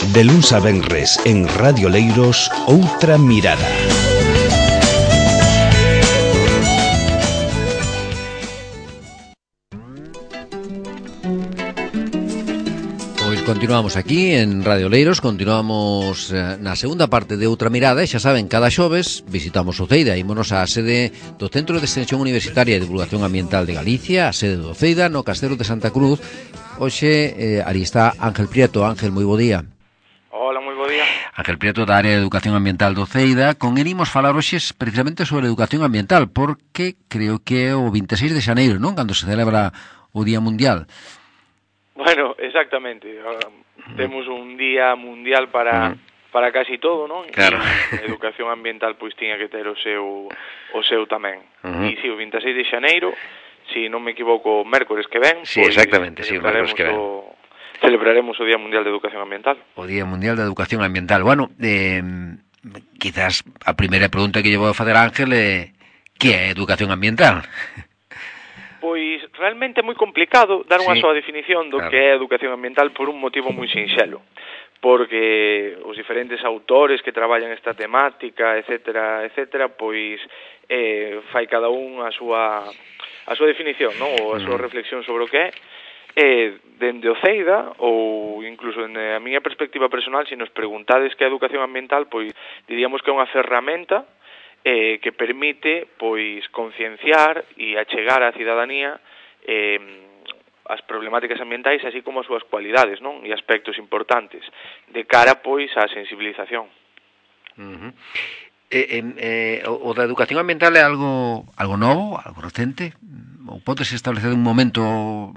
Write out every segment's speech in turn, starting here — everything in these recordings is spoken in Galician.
De luns a venres en Radio Leiros, Outra Mirada. Continuamos aquí en Radio Leiros, continuamos na segunda parte de Outra Mirada e xa saben, cada xoves visitamos Oceida, ímonos á sede do Centro de Extensión Universitaria e Divulgación Ambiental de Galicia, a sede de Oceida, no Castelo de Santa Cruz. Hoxe, ali está Ángel Prieto. Ángel, moi bo día. Hola, moi bo día. Ángel Prieto, da área de Educación Ambiental de Oceida. Con él imos falar hoxe precisamente sobre educación ambiental, porque creo que é o 26 de xaneiro, non? Cando se celebra o Día Mundial. Bueno, exactamente. Temos un día mundial para casi todo, non? Claro. E a educación ambiental pois tiña que ter o seu tamén. E si, o 26 de xaneiro, si non me equivoco, mércores que ven, sí, exactamente, sí, o mércores que ven. Celebraremos o Día Mundial de Educación Ambiental. O Día Mundial de Educación Ambiental. Bueno, quizás a primeira pregunta que lle vou facer a Ángel é que é educación ambiental? Pois realmente é moi complicado dar unha soa definición do claro. que é educación ambiental por un motivo moi sinxelo, porque os diferentes autores que traballan esta temática, etcétera, pois fai cada un a súa definición, non? Ou a súa reflexión sobre o que é. Dende Oceida, ou incluso na miña perspectiva personal, se nos preguntades que é educación ambiental, pois diríamos que é unha ferramenta que permite pois concienciar e achegar á cidadanía as problemáticas ambientais, así como as súas cualidades, non? E aspectos importantes de cara pois á sensibilización. O da educación ambiental é algo novo, algo recente? Ou podes establecer un momento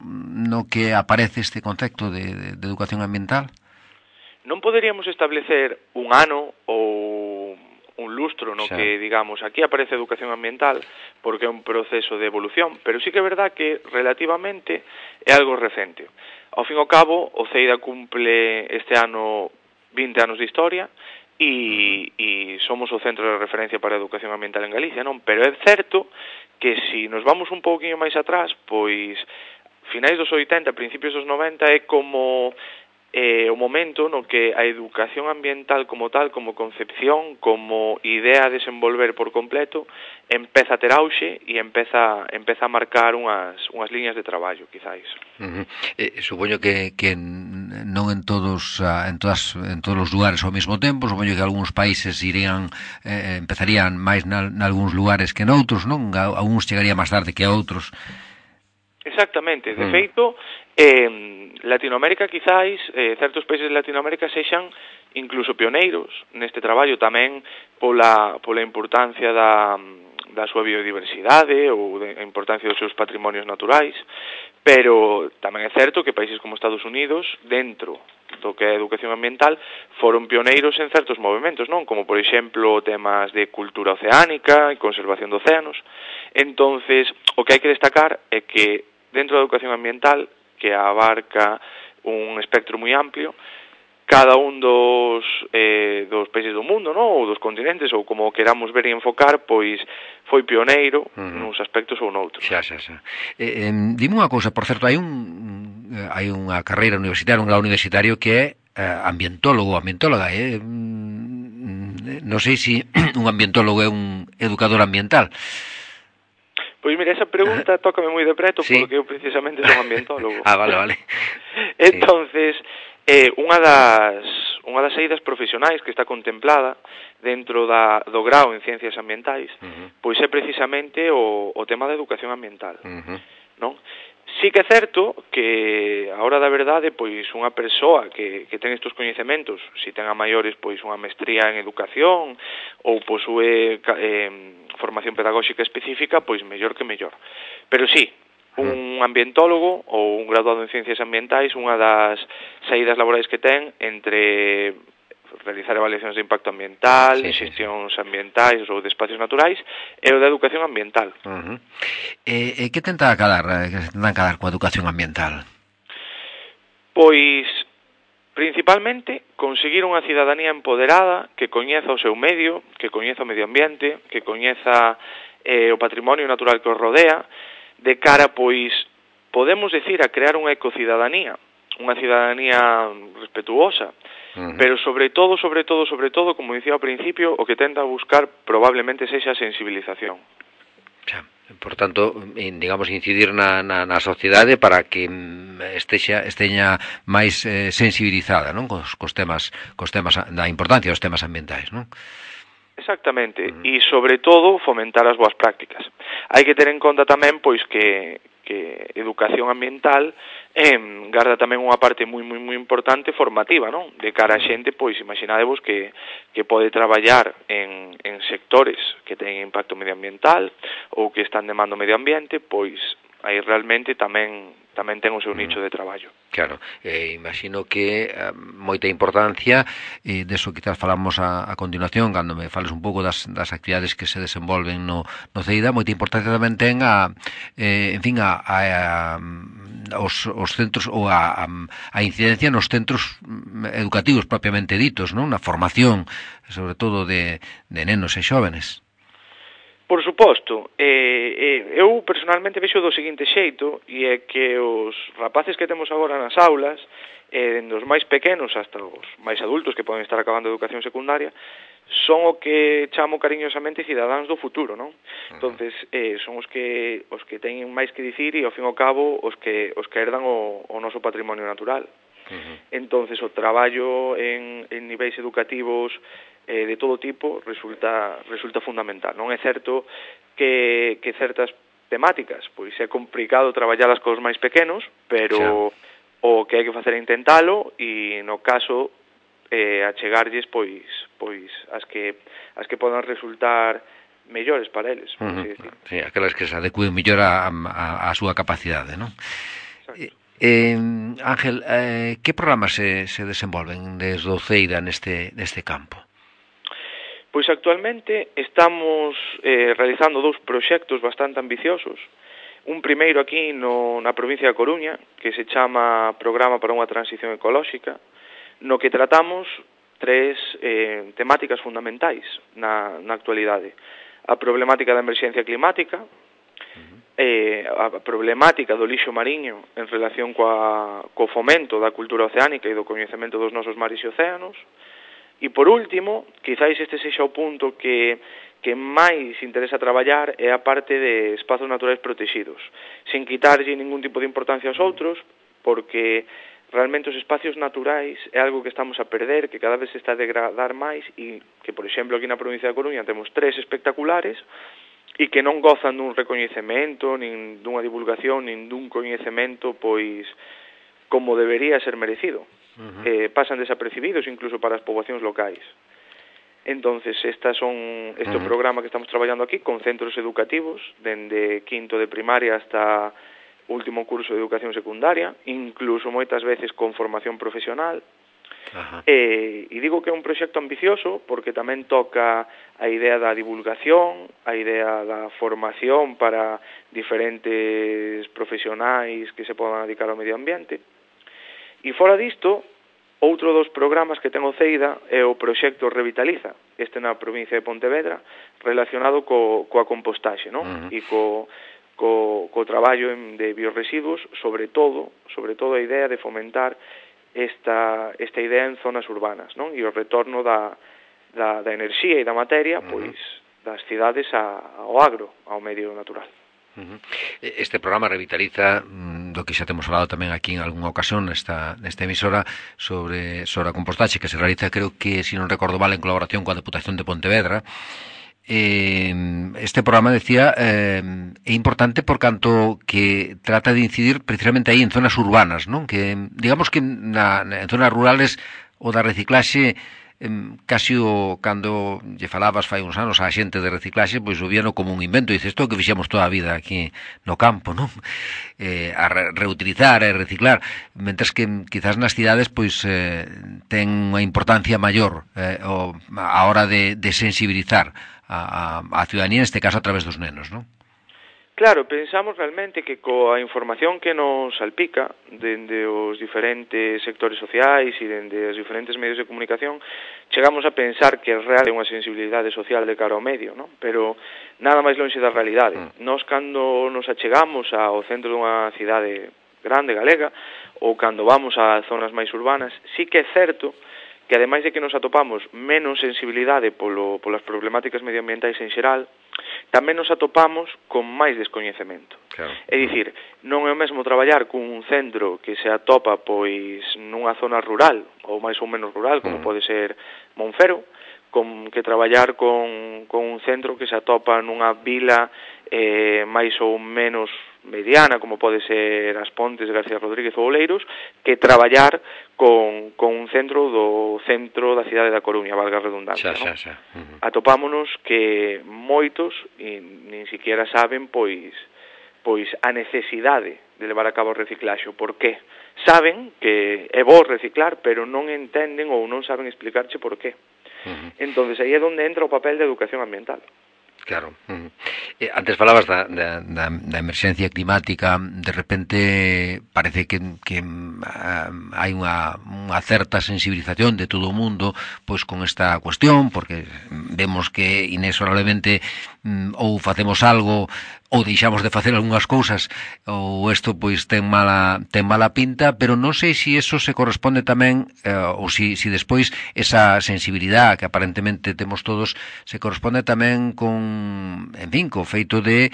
no que aparece este concepto de educación ambiental? Non poderíamos establecer un ano ou un lustro no que, digamos, aquí aparece educación ambiental porque é un proceso de evolución, pero sí que é verdad que relativamente é algo recente. Ao fin e ao cabo, Oceida cumple este ano 20 anos de historia e somos o centro de referencia para a educación ambiental en Galicia, non? Pero é certo que se nos vamos un pouquinho máis atrás, pois finais dos 80, principios dos 90 é como o momento no que a educación ambiental como tal, como concepción, como idea a desenvolver por completo, empeza a ter auxe e empeza a marcar unhas liñas de traballo, quizáis. Supoño que non en todos os lugares ao mesmo tempo, supoño que algúns países empezarían máis nalgúns lugares que noutros, non? Algúns chegaría máis tarde que a outros. Exactamente, de feito, Latinoamérica quizáis, certos países de Latinoamérica sexan incluso pioneiros neste traballo tamén pola importancia da súa biodiversidade ou a importancia dos seus patrimonios naturais, pero tamén é certo que países como Estados Unidos, dentro do que é a educación ambiental, foron pioneiros en certos movimentos, non? Como, por exemplo, temas de cultura oceánica e conservación de océanos. Entonces, o que hai que destacar é que dentro da educación ambiental, que abarca un espectro moi amplio, cada un dos países do mundo, non? Ou dos continentes, ou como queramos ver e enfocar, pois foi pioneiro nuns aspectos ou noutros. Xa. Dime unha cousa, por certo, hai unha carreira universitaria, un grau universitario que é ambientóloga, non sei se un ambientólogo é un educador ambiental. Pois mira, esa pregunta tócame moi de preto, porque eu precisamente son ambientólogo. Vale. Entonces, unha das saídas profesionais que está contemplada dentro do grao en Ciencias Ambientais, pois é precisamente o tema da educación ambiental, non? Sí que é certo que, a hora da verdade, pois unha persoa que ten estes coñecementos, se ten a maiores pois unha mestría en educación ou posúe formación pedagóxica específica, pois mellor que mellor. Pero sí, un ambientólogo ou un graduado en Ciencias Ambientais, unha das saídas laborais que ten entre realizar evaluacións de impacto ambiental, xestións ambientais ou de espacios naturais, e o da educación ambiental. Que tentan cadar coa educación ambiental? Pois, principalmente, conseguir unha cidadanía empoderada que coñeza o seu medio, que coñeza o medio ambiente, que coñeza o patrimonio natural que os rodea, de cara, pois, podemos decir, a crear unha ecocidadanía, unha cidadanía respetuosa, pero sobre todo, como dicía ao principio, o que tenta buscar probablemente sexa a sensibilización. Por tanto, digamos, incidir na sociedade para que esteña máis sensibilizada, non? Cos temas da importancia dos temas ambientais, non? Exactamente, e sobre todo fomentar as boas prácticas. Hai que ter en conta tamén pois que educación ambiental garda tamén unha parte moi importante formativa, non? De cara a xente, pois imaginadevos que pode traballar en sectores que teñen impacto medioambiental ou que están demandando medio ambiente, pois aí realmente tamén ten o seu nicho de traballo. Claro, imagino que moita importancia, deso quizás falamos a continuación, cando me fales un pouco das actividades que se desenvolven no CEIDA, moita importancia tamén ten os centros ou a incidencia nos centros educativos propiamente ditos, non? Na formación, sobre todo de nenos e xóvenes. Por suposto, eu personalmente vexo do seguinte xeito, e é que os rapaces que temos agora nas aulas, dos máis pequenos hasta os máis adultos que poden estar acabando a educación secundaria, son o que chamo cariñosamente cidadáns do futuro, non? Entonces, son os que teñen máis que dicir e, ao fin e ao cabo, os que herdan o noso patrimonio natural. Entonces, o traballo en niveis educativos de todo tipo resulta fundamental. Non é certo que certas temáticas, pois é complicado traballalas cos máis pequenos, pero o que hai que facer é intentalo e no caso achegarlles pois as que podan resultar mellores para eles, por así decir. Sí, aquelas que se adecúen mellor a súa capacidade, non? Exacto. Ángel, que programas se desenvolven desde o CEIDA neste campo? Pois actualmente estamos realizando 2 proxectos bastante ambiciosos. Un primeiro aquí na provincia da Coruña, que se chama Programa para unha Transición Ecolóxica, no que tratamos 3 temáticas fundamentais na actualidade. A problemática da emerxencia climática, a problemática do lixo mariño en relación co fomento da cultura oceánica e do coñecemento dos nosos mares e océanos. E por último, quizáis este sexa o punto que máis interesa traballar é a parte de espazos naturais protegidos, sen quitarlle ningún tipo de importancia aos outros, porque realmente os espacios naturais é algo que estamos a perder, que cada vez se está a degradar máis e que, por exemplo, aquí na provincia da Coruña temos 3 espectaculares e que non gozan dun recoñecemento, nin dunha divulgación, nin dun coñecemento, pois, como debería ser merecido. Pasan desapercibidos incluso para as poboacións locais. Entonces, este programa que estamos traballando aquí con centros educativos dende quinto de primaria hasta último curso de educación secundaria, incluso moitas veces con formación profesional. E digo que é un proxecto ambicioso porque tamén toca a idea da divulgación, a idea da formación para diferentes profesionais que se podan dedicar ao medio ambiente. E fora disto, outro dos programas que ten o CEIDA é o proxecto Revitaliza, este na provincia de Pontevedra, relacionado coa compostaxe, non? E co traballo de biorresiduos, sobre todo a idea de fomentar esta idea en zonas urbanas, non? E o retorno da enerxía e da materia, pois, das cidades ao agro, ao medio natural. Este programa Revitaliza, do que xa temos falado tamén aquí en algunha ocasión nesta emisora, sobre a compostaxe que se realiza, creo que, se non recordo mal, en colaboración coa Deputación de Pontevedra. Este programa, decía, é importante por canto que trata de incidir precisamente aí en zonas urbanas, non? Que, digamos que en zonas rurales o da reciclaxe casi cando lle falabas fai uns anos á xente de reciclaxe, pois o víano como un invento, dices, isto que fixemos toda a vida aquí no campo, non? A reutilizar e reciclar, mentres que quizás nas cidades pois ten unha importancia maior a hora de sensibilizar a ciudadanía, neste caso a través dos nenos, non? Claro, pensamos realmente que coa información que nos salpica dende os diferentes sectores sociais e dende os diferentes medios de comunicación, chegamos a pensar que é real unha sensibilidade social de cara ao medio, non? Pero nada máis lonxe da realidade. Nós, cando nos achegamos ao centro dunha cidade grande, galega, ou cando vamos a zonas máis urbanas, sí que é certo que ademais de que nos atopamos menos sensibilidade polas problemáticas medioambientais en xeral, tamén nos atopamos con máis descoñecemento. Claro. É dicir, non é o mesmo traballar cun centro que se atopa pois nunha zona rural ou máis ou menos rural, como pode ser Monfero, que traballar con un centro que se atopa nunha vila máis ou menos mediana, como pode ser As Pontes, García Rodríguez ou Oleiros, que traballar con un centro da cidade da Coruña, valga a redundancia, non? Atopámonos que moitos nin siquiera saben pois a necesidade de levar a cabo o reciclaxo. Por qué? Saben que é bo reciclar, pero non entenden ou non saben explicarche por qué. Entonces aí é onde entra o papel da educación ambiental. Claro. Antes falabas da emerxencia climática. De repente parece que hai unha certa sensibilización de todo o mundo pois con esta cuestión, porque vemos que inexorablemente ou facemos algo ou deixamos de facer algunhas cousas, ou isto pois ten mala pinta, pero non sei se eso se corresponde tamén, ou se despois esa sensibilidade que aparentemente temos todos se corresponde tamén con, en fin, co feito de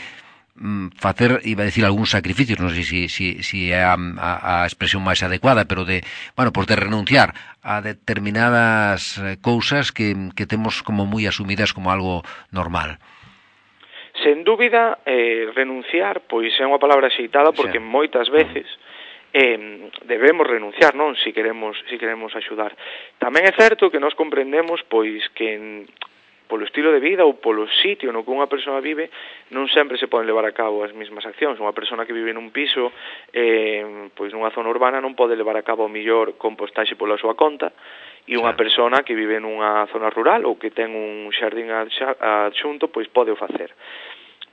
facer, iba a decir, algúns sacrificios, non sei se é a expresión máis adecuada, pero de renunciar a determinadas cousas que temos como moi asumidas como algo normal. Sen dúbida, renunciar, pois é unha palabra xeitada porque moitas veces debemos renunciar, non? Si queremos axudar. Tamén é certo que nós comprendemos pois que polo estilo de vida ou polo sitio no que unha persoa vive non sempre se poden levar a cabo as mesmas accións. Unha persona que vive nun piso pois nunha zona urbana non pode levar a cabo o mellor compostaxe pola súa conta, e unha persona que vive nunha zona rural ou que ten un xardín adxunto pois pode o facer.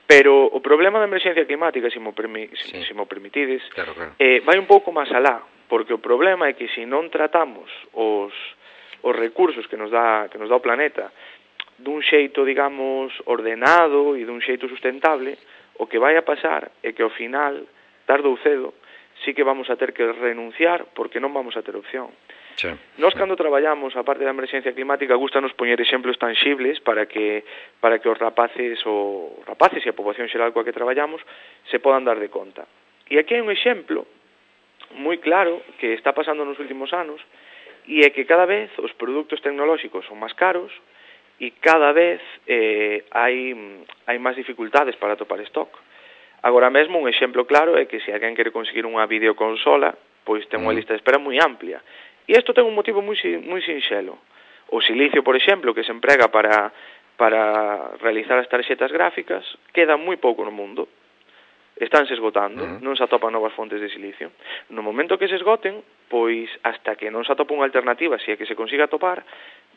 Pero o problema da emerxencia climática, se mo permitides, claro. Vai un pouco máis alá, porque o problema é que se non tratamos os recursos que nos dá o planeta dun xeito, digamos, ordenado e dun xeito sustentable, o que vai a pasar é que ao final, tarde ou cedo, sí que vamos a ter que renunciar porque non vamos a ter opción. Nós cando traballamos a parte da emerxencia climática gustanos poñer exemplos tangibles para que os rapaces e a poboación xeral coa que traballamos se podan dar de conta. E aquí hai un exemplo moi claro que está pasando nos últimos anos, e é que cada vez os produtos tecnolóxicos son máis caros e cada vez hai máis dificultades para topar stock. Agora mesmo un exemplo claro é que se alguén quere conseguir unha videoconsola, pois ten unha lista de espera moi amplia. E isto ten un motivo moi sinxelo. O silicio, por exemplo, que se emprega para realizar as tarxetas gráficas, queda moi pouco no mundo. Estánse esgotando, non se atopan novas fontes de silicio. No momento que se esgoten, pois hasta que non se atopa unha alternativa, se é que se consiga atopar,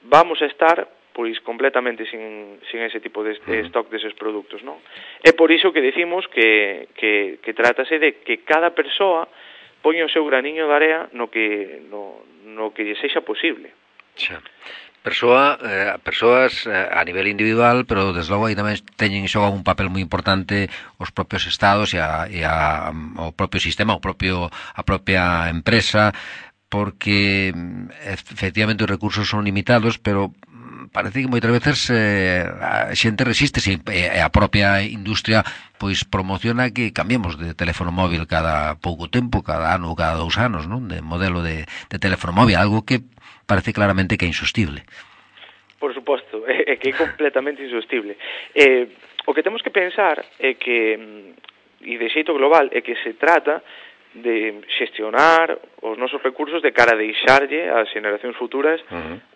vamos a estar pois completamente sin ese tipo de stock deses produtos, non? É por iso que decimos que trátase de que cada persoa poña o seu graniño de area no que lle sexa posible. Persoas a nivel individual, pero desde logo aí tamén xogan un papel moi importante os propios estados e o propio sistema, a propia empresa, porque efectivamente os recursos son limitados, pero parece que moitas veces a xente resiste, e a propia industria pois promociona que cambiemos de teléfono móvil cada pouco tempo, cada ano ou cada 2 anos, non? De modelo de teléfono móvil, algo que parece claramente que é insostible. Por suposto, é que é completamente insostible. O que temos que pensar é que, e de xeito global, é que se trata de xestionar os nosos recursos de cara a deixarlle ás generacións futuras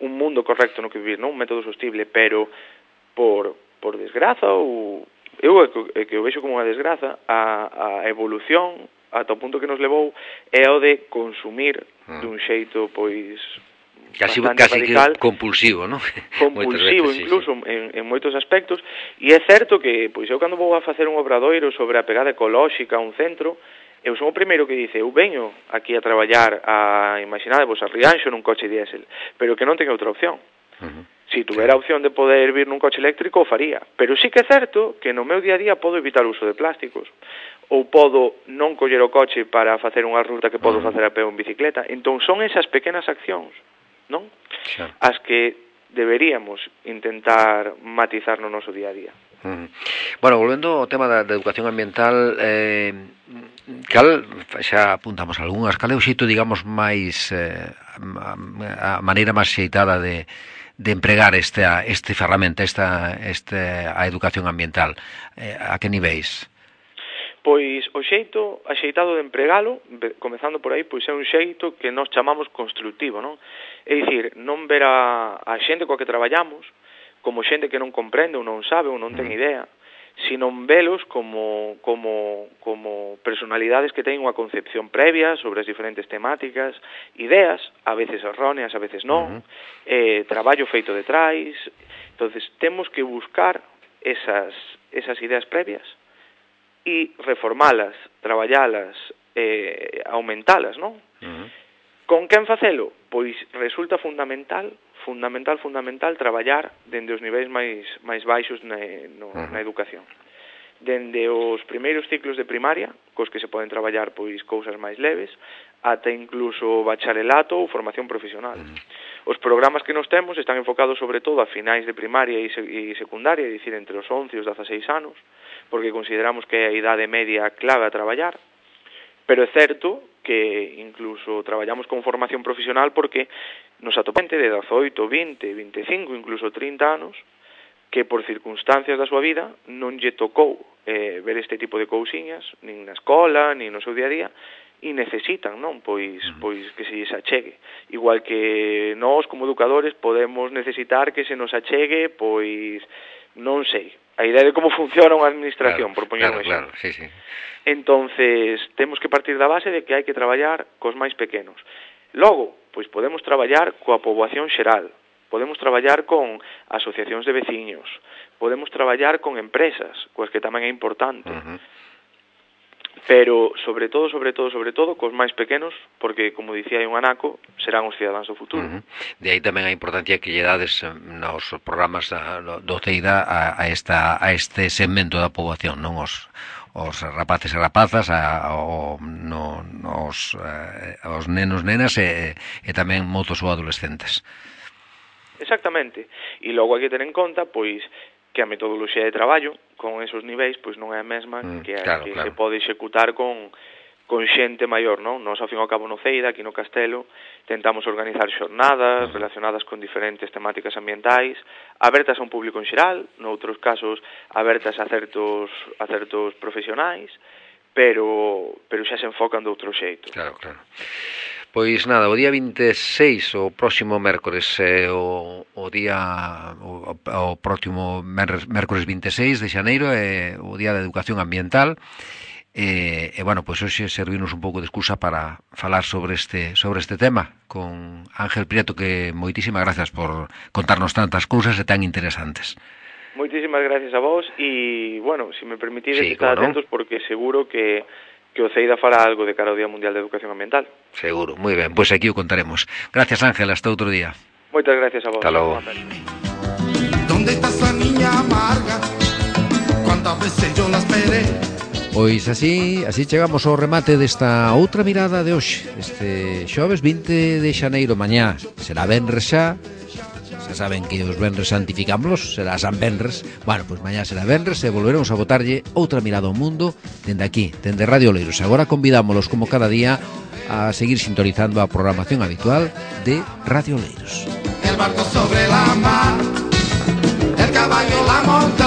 un mundo correcto no que vivir, non? Un método sostible, pero por desgraza, ou eu é que o vexo como unha desgraza, a evolución ata o punto que nos levou é o de consumir dun xeito pois casi radical, compulsivo, non? Compulsivo, incluso en moitos aspectos, e é certo que pois eu cando vou a facer un obradoiro sobre a pegada ecolóxica a un centro, eu son o primeiro que dice, eu veño aquí a traballar imaginadevos, a Rianxo nun coche diésel, pero que non ten outra opción. Si tuvera a opción de poder vir nun coche eléctrico, o faría. Pero sí que é certo que no meu día a día podo evitar o uso de plásticos. ou podo non coller o coche para facer unha ruta que podo facer a pé ou en bicicleta. Entón son esas pequenas accións, non? Xa. As que deberíamos intentar matizar no noso día a día. Bueno, volvendo ao tema da educación ambiental, cal, xa apuntamos algunhas, cal é o xeito, digamos, máis a maneira máis xeitada de empregar este ferramenta, a educación ambiental? A que niveis? Pois o xeito axeitado de empregalo, comezando por aí, pois é un xeito que nós chamamos constructivo, non? É dicir, non ver a xente coa que traballamos como xente que non comprende ou non sabe ou non ten idea, sino velos como personalidades que teñen unha concepción previa sobre as diferentes temáticas, ideas, a veces erróneas, a veces non, traballo feito detrás. Entonces, temos que buscar esas ideas previas e reformalas, traballalas, aumentalas, non? Con quen facelo? Pois resulta fundamental traballar dende os niveis máis baixos na educación. Dende os primeiros ciclos de primaria, cos que se poden traballar pois cousas máis leves, ata incluso bacharelato ou formación profesional. Os programas que nos temos están enfocados sobre todo a finais de primaria e secundaria, é dicir, entre os 11 e os 16 anos, porque consideramos que é a idade media clave a traballar, pero é certo que incluso traballamos con formación profesional porque nos atopamos de 18, 20, 25, incluso 30 anos que por circunstancias da súa vida non lle tocou ver este tipo de cousiñas, nin na escola, nin no seu día a día, e necesitan, non? Pois que se lles achegue. Igual que nós, como educadores, podemos necesitar que se nos achegue, pois, non sei, a idea de como funciona unha administración, por poñer un exemplo. Claro, sí. Entonces, temos que partir da base de que hai que traballar cos máis pequenos. Logo, pois podemos traballar coa poboación xeral, podemos traballar con asociacións de veciños, podemos traballar con empresas, coas que tamén é importante. Pero, sobre todo, cos máis pequenos, porque, como dicía hai un anaco, serán os cidadáns do futuro. De aí tamén a importancia que lle dades nos programas do CEIDA a este segmento da poboación, non os rapaces e rapazas, os nenos, nenas e tamén motos ou adolescentes. Exactamente. E logo hai que ter en conta, pois, que a metodoloxía de traballo con esos niveis pois non é a mesma que se pode executar con xente maior, non? Nós, ao fin e ao cabo, no CEIDA, aquí no Castelo, tentamos organizar xornadas relacionadas con diferentes temáticas ambientais, abertas a un público en xeral, noutros casos abertas a certos profesionais, pero xa se enfocan de outro xeito. Claro. Pois nada, o día 26, o próximo mércores, o próximo mércores 26 de xaneiro é o Día da Educación Ambiental. Bueno, pois hoxe servimos un pouco de excusa para falar sobre este tema con Ángel Prieto, que moitísimas gracias por contarnos tantas cousas e tan interesantes. Moitísimas gracias a vos e, bueno, se me permitides estar atentos porque seguro que o CEIDA fará algo de cara ao Día Mundial de Educación Ambiental. Seguro, moi ben, pois aquí o contaremos. Gracias, Ángel, hasta outro día. Moitas gracias a vos. Hasta logo. ¿Dónde está esa niña amarga? ¿Cuántas veces yo la esperé? Pois así chegamos ao remate desta outra mirada de hoxe. Este xoves 20 de xaneiro, mañá será venres xa. Xa saben que os venres santificámoslos, será San Venres. Bueno, pois mañá será venres e volveremos a botarlle outra mirada ao mundo dende aquí, dende Radio Oleiros. Agora convidámoslos, como cada día, a seguir sintonizando a programación habitual de Radio Oleiros. El barco sobre la mar, el caballo, la montaña.